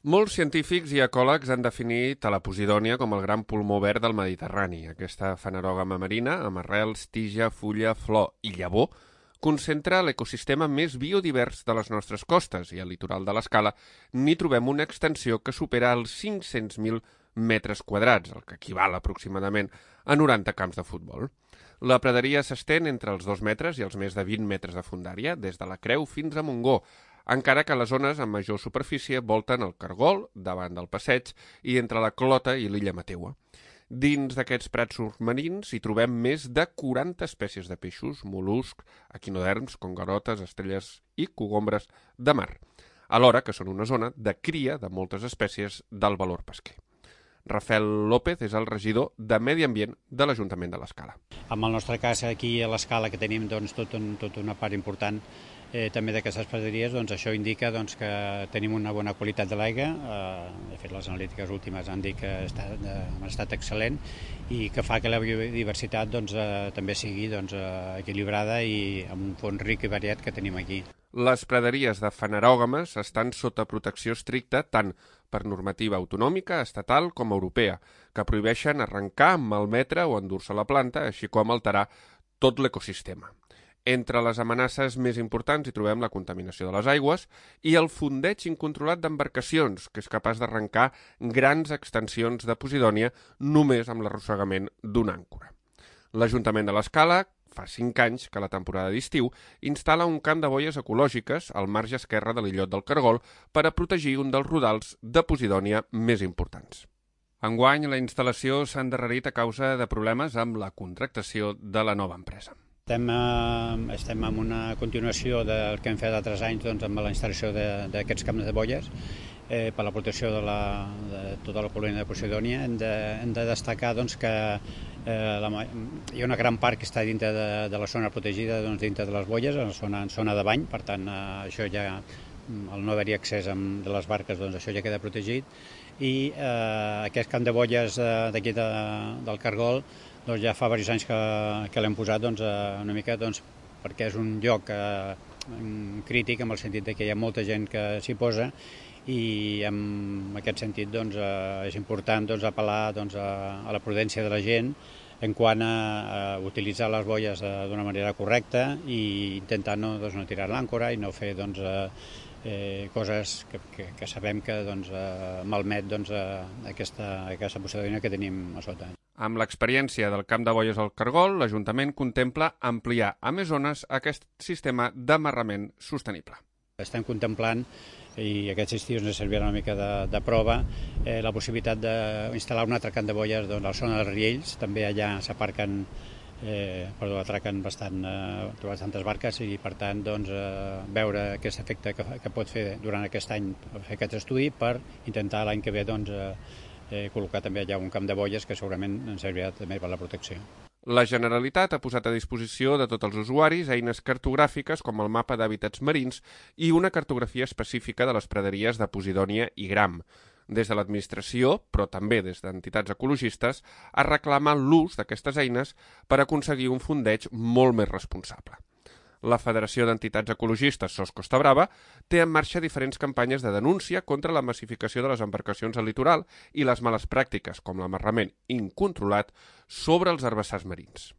Molts científics i ecòlegs han definit a la Posidònia com el gran pulmó verd del Mediterrani. Aquesta fanerògama marina, amb arrels, tija, fulla, flor i llavor, concentra l'ecosistema més biodivers de les nostres costes i al litoral de l'Escala n'hi trobem una extensió que supera els 500.000 metres quadrats, el que equival aproximadament a 90 camps de futbol. La praderia s'estén entre els 2 metres i els més de 20 metres de fondària, des de la Creu fins a Montgó, encara que les zones amb major superfície volten el Cargol, davant del passeig, i entre la Clota i l'illa Mateua. Dins d'aquests prats submarins hi trobem més de 40 espècies de peixos, mol·luscs, equinoderms, congarotes, estrelles i cogombres de mar, alhora que són una zona de cria de moltes espècies d'alt valor pesquer. Rafael López és el regidor de Medi Ambient de l'Ajuntament de l'Escala. En el nostre cas, aquí a l'Escala, que tenim tota una part important també d'aquestes praderies, això indica que tenim una bona qualitat de l'aigua. De fet, les analítiques últimes han dit que ha estat excel·lent i que fa que la biodiversitat també sigui equilibrada i amb un fons ric i variat que tenim aquí. Les praderies de fanerògames estan sota protecció estricta tant per normativa autonòmica, estatal com europea, que prohibeixen arrencar, malmetre o endur-se la planta, així com alterar tot l'ecosistema. Entre les amenaces més importants hi trobem la contaminació de les aigües i el fondeig incontrolat d'embarcacions, que és capaç d'arrencar grans extensions de Posidònia només amb l'arrossegament d'una àncora. L'Ajuntament de l'Escala, fa 5 anys que a la temporada d'estiu, instal·la un camp de boies ecològiques al marge esquerre de l'illot del Cargol per a protegir un dels rodals de Posidònia més importants. Enguany, la instal·lació s'ha endarrerit a causa de problemes amb la contractació de la nova empresa. Estem en una continuació del que hem fet altres anys amb la instal·lació d'aquests camps de boies per la protecció de tota la colònia de Posidònia. Hem de destacar que hi ha una gran part que està dintre de la zona protegida, dintre de les boies, en zona de bany, per tant, això ja, al no haver-hi accés de les barques, això ja queda protegit. I aquest camp de boies d'aquí del Cargol ja fa diversos anys que l'hem posat una mica perquè és un lloc crític en el sentit que hi ha molta gent que s'hi posa i en aquest sentit és important apel·lar a la prudència de la gent en quant a utilitzar les boies d'una manera correcta i intentar no tirar l'àncora i no fer coses que sabem que malmet aquesta Posidònia que tenim a sota. Amb l'experiència del camp de boies al Cargol, l'Ajuntament contempla ampliar a més zones aquest sistema d'amarrament sostenible. Estem contemplant, i aquests estius ens servirà una mica de prova, la possibilitat d'instal·lar un altre camp de boies a la zona dels Riells. També allà s'aparquen, atraquen bastantes barques i, per tant, veure aquest efecte que pot fer durant aquest any fer aquest estudi per intentar l'any que ve col·locar també allà un camp de boies que segurament ens servirà també per la protecció. La Generalitat ha posat a disposició de tots els usuaris eines cartogràfiques com el mapa d'hàbitats marins i una cartografia específica de les praderies de Posidònia i Gram. Des de l'administració, però també des d'entitats ecologistes, es reclama l'ús d'aquestes eines per aconseguir un fondeig molt més responsable. La Federació d'Entitats Ecologistes SOS Costa Brava té en marxa diferents campanyes de denúncia contra la massificació de les embarcacions al litoral i les males pràctiques, com l'amarrament incontrolat sobre els herbassars marins.